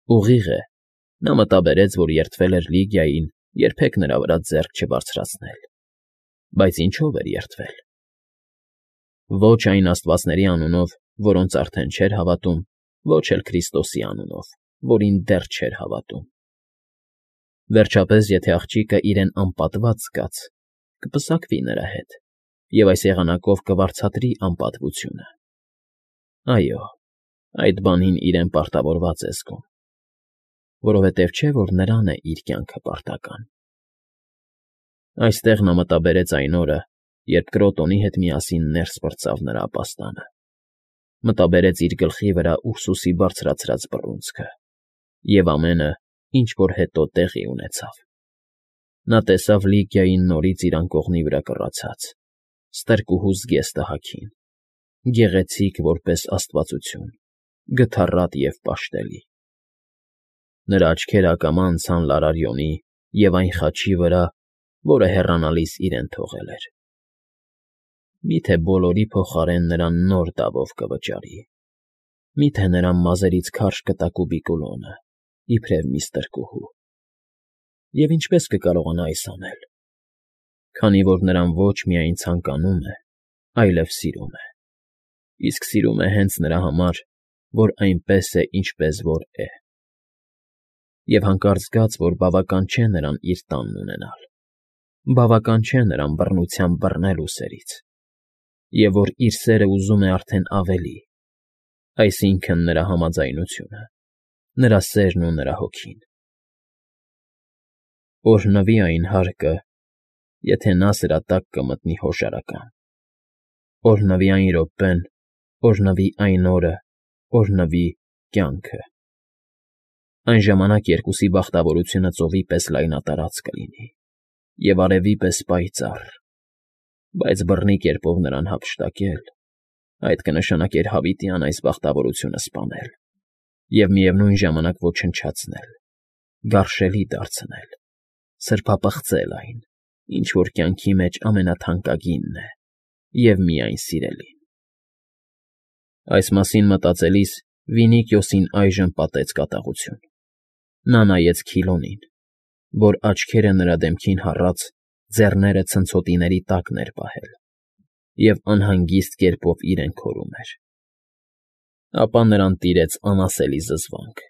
Ուղիղ է, նա մտաբերեց, որ երդվել էր Լիգիային երբեք նրա վրա ձեռք չբարձրացնել, բայց ինչո՞վ էր երդվել։ Ոչ այն աստվածների անունով, որոնց արդեն չէր հավատում, ոչ էլ Քրիստոսի անունով, որին դեռ չէր հավատում։ Վերջապես, եթե աղջիկը իրեն անպատված զգաց, կպսակվի նրա հետ, և այս եղանակով կվարձատրի անպատվությունը։ Այո, այդ բանին իրեն պարտավորված է զգում, որովհետև չէ, որ նրան է իր կյանքը պարտական։ Այստեղ նա մտաբերեց այն օրը, երբ Կրոտոնի հետ միասին ներս պրծավ նրա ապաստանը, մտաբերեց իր գլխի վրա Ուրսուսի բարձրացրած բռունցքը և ամենը, ինչ որ հետո տեղի ունեցավ։ Նա տեսավ Լիգիային նորից իր անկողնի վրա կռացած, ստրկուհու զգեստը հագին, գեղեցիկ որպես աստվածություն, գթառատ և պաշտելի։ Նրա աչքերը ակամա անցան Լարարյոնի և այն խաչի վրա, որը հեռանալիս իրեն թողել էր։ Միթե բոլորի փոխարեն նրան նոր դավով կվճարի։ Միթե նրան մազերից քարշ կտակուբի կուլոնը, իբրև մի ստրկուհու։ Եվ ինչպե՞ս կկարողանա այս անել, քանի որ նրան ոչ միայն ցանկանում է, այլև սիրում է, իսկ սիրում է հենց նրա համար, որ այնպես է, ինչպես որ է։ Եվ հանկարծ զգաց, որ բավական չէ նրան իր տանն ունենալ, բավական չէ նրան բռնությամբ բռնել ուսերից, և որ իր սերը ուզում է արդեն ավելի, այսինքն՝ նրա համաձայնությունը, նրա սերն ու նրա հոգին։ Օրհնվի այն հարկը, եթե նա սրա տակ կմտնի հոշարական, օրհնվի այն րոպեն, օրհնվի այն օրը, օրհնվի կյանքը։ Այն ժամանակ երկուսի բախտավորությունը ծովի պես լայնատարած կլինի և արևի պես պայծառ, բայց բռնի կերպով նրան հափշտակել, այդ կնշանակեր հավիտյան այս բախտավորությունը սպանել և միևնույն ժամանակ ոչնչացնել, գարշելի դարձնել, սրբապղծել այն, ինչ որ կյանքի մեջ ամենաթանկագինն է և միայն սիրելին։ Այս մասին մտածելիս Վինիկիոսին այժմ պատեց կատաղություն։ Նա նայեց Քիլոնին, որ աչքերը նրա դեմքին հառած, ձեռները ցնցոտիների տակն էր պահել և անհանգիստ կերպով իրեն քորում էր։ Ապա նրան տիրեց անասելի զզվանք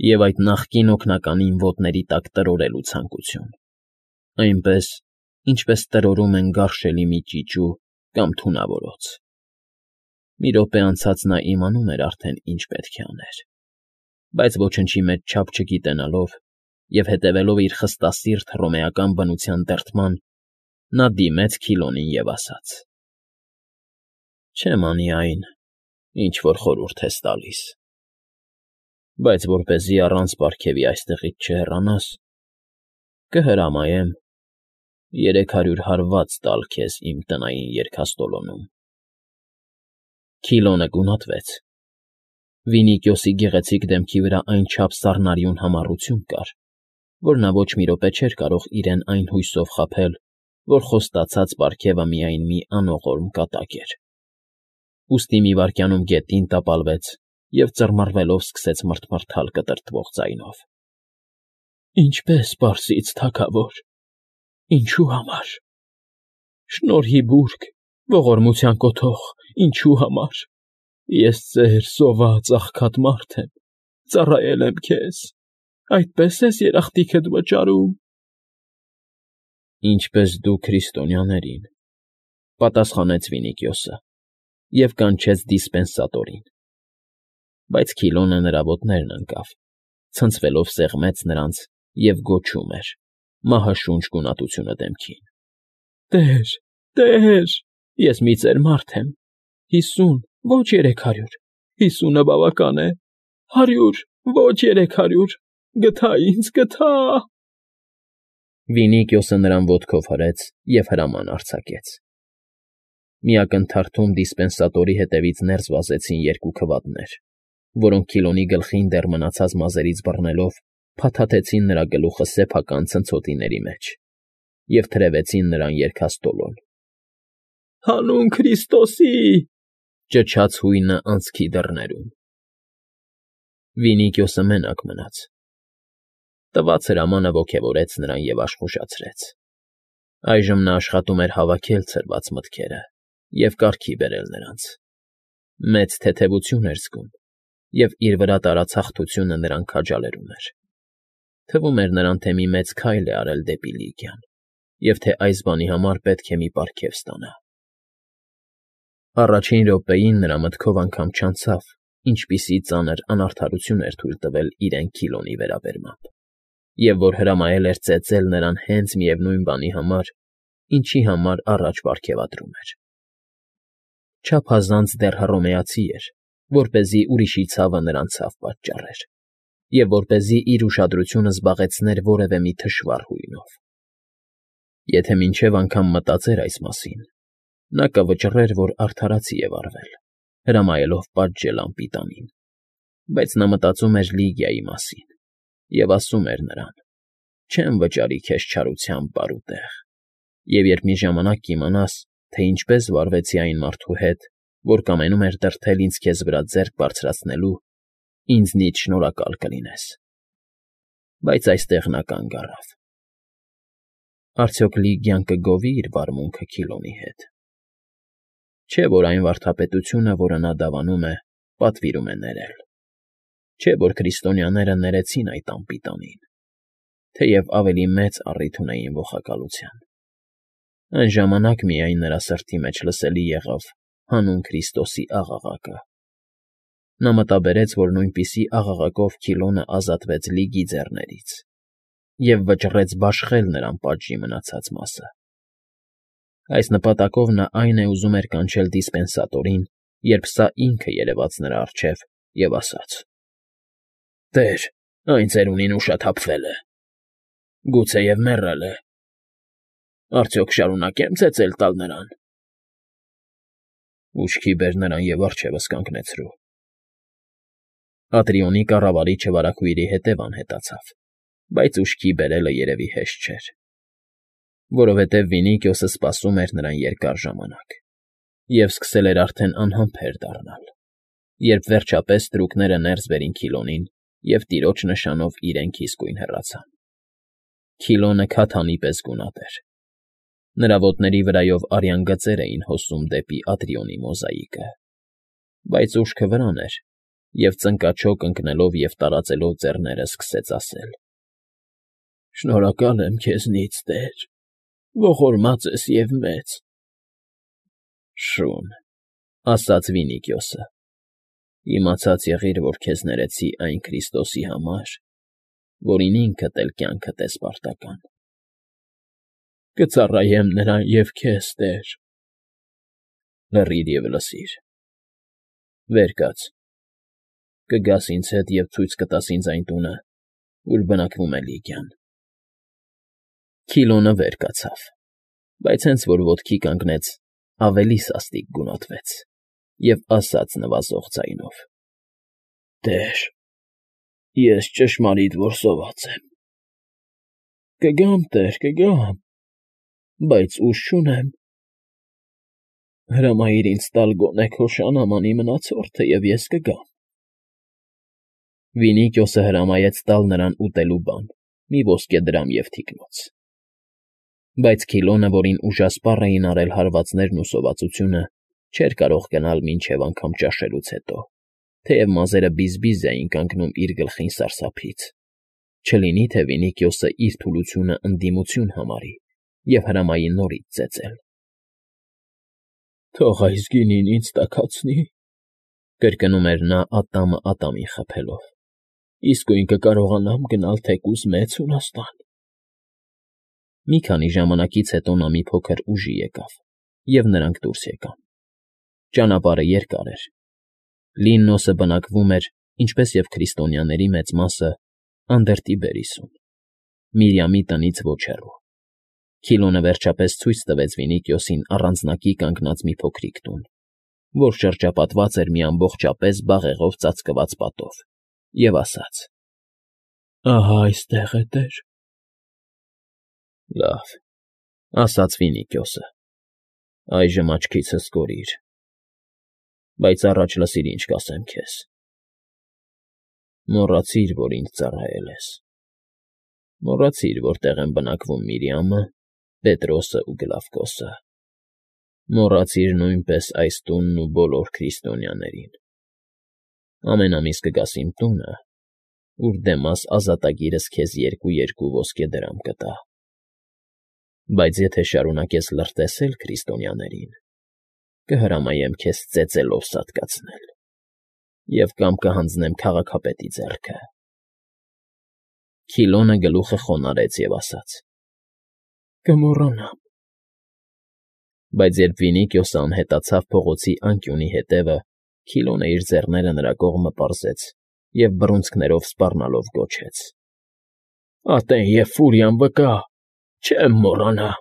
և այդ նախկին օգնականին ոտների տակ տրորելու ցանկություն, այնպես, ինչպես տրորում են գարշելի մի ճիճու կամ թունավորոց։ Մի րոպե անցած նա իմանում էր արդեն ինչ պետք է աներ, բայց ոչնչի մեջ չափ չգիտենալով և հետևելով իր խստասիրտ հռոմեական բնության դրդման, նա դիմեց Քիլոնին և ասաց. «Չեմ անի այն, ինչ որ խորհուրդ ես տալիս, բայց որպեսզի առանց պարգևի այստեղից չհեռանաս, կհրամայեմ 300 հարված տալ քեզ իմ տնային երգաստոլոնում»։ Քիլոնը գունատվեց։ Վինիկիոսի գեղեցիկ դեմքի վրա այնչափ սառնարյուն համառություն կար, որ նա ոչ մի րոպե չէր կարող իրեն այն հույսով խաբել, որ խոստացած պարգևը միայն մի անողորմ կատակ էր։ Ուստի մի վայրկյանում գետին տապալվեց և ծռմռվելով սկսեց մռթմռթալ կտրտվող ձայնով. «Ինչպե՞ս, պարսից թագավոր, ինչու համար, շնորհի բուրգ, ողորմության կոթող, ինչու համար, ես ծեր, սոված, աղքատ մարդ եմ, ծառայել եմ քեզ, այդպե՞ս ես երախտիքդ վճարում»։ «Ինչպես դու քրիստոնյաներին», պատասխանեց Վինիկիոսը և կանչեց դիսպենսատորին։ Բայց Քիլոնը նրա ոտներն ընկավ, ցնցվելով սեղմեց նրանց և գոչում էր, մահաշունչ գունատությունը դեմքին. «Տե՛ր, տե՛ր, ես մի ծեր մարդ եմ, 50, ոչ 300, 50-ը բավական է, 100, ոչ 300, գթա ինձ, գթա»։ Վինիկիոսը նրան ոտքով հրեց և հրաման արձակեց։ Մի ակնթարթում դիսպենսատորի հետևից ներս վազեցին երկու քվատներ, որոնք Քիլոնի գլխին դեռ մնացած մազերից բռնելով փաթաթեցին նրա գլուխը սեփական ցնցոտիների մեջ և թրևեցին նրան երգաստոլոն։ «Հանուն Քրիստոսի», ճչաց հույնը անցքի դռներում։ Վինիքիոսը մենակ մնաց։ Տված հրամանը ոգևորեց նրան և աշխուժացրեց։ Այժմ նա աշխատում էր հավաքել ցրված մտքերը և կարգի բերել նրանց։ Մեծ թեթևություն էր զգում, և իր վրա տարած հաղթությունը նրան քաջալերում էր։ Թվում էր նրան, թե մի մեծ քայլ է արել դեպի Լիգիան, և թե այս բանի համար պետք է մի պարգև ստանա։ Առաջին րոպեին նրա մտքով անգամ չանցավ, ինչպիսի ծանր անարդարություն էր թույլ տվել իրեն Քիլոնի վերաբերմամբ, և որ հրամայել էր ծեծել նրան հենց միևնույն բանի համար, ինչի համար առաջ պարգևատրում էր։ Չափազանց դեռ հռոմեացի էր, որպեսզի ուրիշի ցավը նրան ցավ պատճառեր, և որպեսզի իր ուշադրությունը զբաղեցներ որևէ մի թշվառ հույնով։ Եթե մինչև անգամ մտածեր այս մասին, նա կվճռեր, որ արդարացի է վարվել, հրամայելով պատժել անպիտանին, բայց նա մտածում էր Լիգիայի մասին և ասում էր նրան. «Չեմ վճարի քեզ չարությամբ բարուտեղ, և երբ մի ժամանակ կիմանաս, թե ինչպես վարվեցի այն մարդու հետ, որ կամենում էր դրդել ինձ քեզ վրա ձեռք բարձրացնելու, ինձնից շնորհակալ կլինես»։ Բայց այստեղ նա կանգ առավ։ Արդյոք Լիգիան կգովի՞ իր վարմունքը Քիլոնի հետ։ Չէ՞ որ այն վարդապետությունը, որը նա դավանում է, պատվիրում է ներել։ Չէ՞ որ քրիստոնյաները ներեցին այդ անպիտանին, թեև ավելի մեծ առիթ ունեին ողակալության։ Այն ժամանակ միայն նրա սրտի մեջ լսելի եղավ հանուն Քրիստոսի աղաղակը։ Նա մտաբերեց, որ նույնպիսի աղաղակով Քիլոնը ազատվեց Լիգի ձեռներից և վճռեց բաշխել նրան պատժի մնացած մասը։ Այս նպատակով նա այն է ուզում էր կանչել դիսպենսատորին, երբ սա ինքը երևաց նրա առջև և ասաց. «Տեր, այն ծերունին ուշաթափվել է, գուցեև մեռել է։ Արդյոք շարունակե՞մ ծեծել տալ նրան»։ «Ուշքի բեր նրան և առջևս կանգնեցրու»։ Ատրիոնի կառավարիչը վարագույրի հետև անհետացավ, բայց ուշքի բերելը երևի հեշտ չէր, որովհետև Վինիքիոսը սպասում էր նրան երկար ժամանակ և սկսել էր արդեն անհամբեր դառնալ, երբ վերջապեստրուկները ներս բերին Քիլոնին և տիրոջ նշանով իրենք իսկույն հեռացան։ Քիլոնը քաթանի պես գունատ էր։ Նրա ոտների վրայով արյան գծեր էին հոսում դեպի Ատրիոնի մոզաիկը, բայց ուշքը վրան էր, և ծնկաչոք ընկնելով և տարածելով ձեռները սկսեց ասել. «Շնորհակալ եմ քեզնից, Տեր, ողորմած ես և մեծ»։ «Շուն,֊ ասաց Վինիքիոսը,֊ իմացած եղիր, որ քեզ ներեցի այն Քրիստոսի համար, որին ինքդ էլ կյանքդ ես պարտական»։ «Կծառայեմ նրան և քեզ, Տեր»։ «Լռիր և լսիր. վեր կաց, կգաս ինձ հետ և ցույց կտաս ինձ այն տունը, ուր բնակվում է Լիգիան»։ Քիլոնը վեր կացավ, բայց հենց որ ոտքի կանգնեց, ավելի սաստիկ գունատվեց և ասաց նվազող ձայնով. «Տեր, ես ճշմարիտ որսված եմ»։ «Կգամ, Տեր, կգամ, բայց ուժ չունեմ»։ «Հրամայիր ինձ տալ գոնե քո շանամանի մնացորդը, և ես կգամ»։ Վինիքիոսը հրամայեց տալ նրան ուտելու բան, մի ոսկեդրամ և թիկնոց։ Բայց Քիլոնը, որին ուժասպառ էին արել հարվածներն ու սովածությունը, չէր կարող գնալ մինչև անգամ ճաշելուց հետո, թեև մազերը բիզբիզ էին կանգնում իր գլխին սարսափից, չլինի թե Վինիքիոսը իր թուլությունը ընդդիմություն համարի և հրամայի նորից ծեծել։ «Թող այս գինին ինձ տաքացնի»,֊ կրկնում էր նա ատամը ատամին խփելով, «իսկույն կկարողանամ գնալ թեկուզ Մեծ Հունաստան»։ Մի քանի ժամանակից հետո նա մի փոքր ուժի եկավ, և նրանք դուրս եկան։ Ճանապարհը երկար էր։ Լիննոսը բնակվում էր, ինչպես և քրիստոնյաների մեծ մասը, Անդերտիբերիսում, Միրիամի տնից ոչ հեռու։ Քիլոնը վերջապես ցույց տվեց Վինիքիոսին առանձնակի կանգնած մի փոքրիկ տուն, որ շրջապատված էր մի ամբողջապես բաղեղով ծածկված պատով, և ասաց. «Ահա այստեղ է, Տեր»։ «Լավ,֊ ասաց Վինիքիոսը,֊ այժմ աչքիցս կորիր, բայց առաջ լսիր, ինչ կասեմ քեզ։ Մոռացիր, որ ինձ ծառայել ես։ Մոռացիր, որտեղ են բնակվում Միրիամը, Պետրոսը ու Գլավկոսը։ Մոռացիր նույնպես այս տունն ու բոլոր քրիստոնյաներին։ Ամեն ամիս կգաս իմ տունը, ուր Դեմաս ազատագիրս քեզ 2 ոսկե դրամ կտա։ Բայց եթե շարունակես լրտեսել քրիստոնյաներին, կհրամայեմ քեզ ծեծելով սատկացնել և կամ կհանձնեմ քաղաքապետի ձեռքը։ Քիլոնը գլուխը խոնարհեց և ասաց. Կմոռանամ։ Բայց երբ Վինիքիոսը անհետացավ փողոցի անկյունի հետևը, Քիլոնը իր ձեռները նրա կողմը պարզեց և բռունցքներով սպառնալով գոչեց. Ատեն և ֆուրիան վկա, չեմ մոռանա։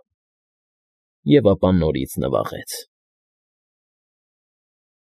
Եվ ապա նորից նվաղեց։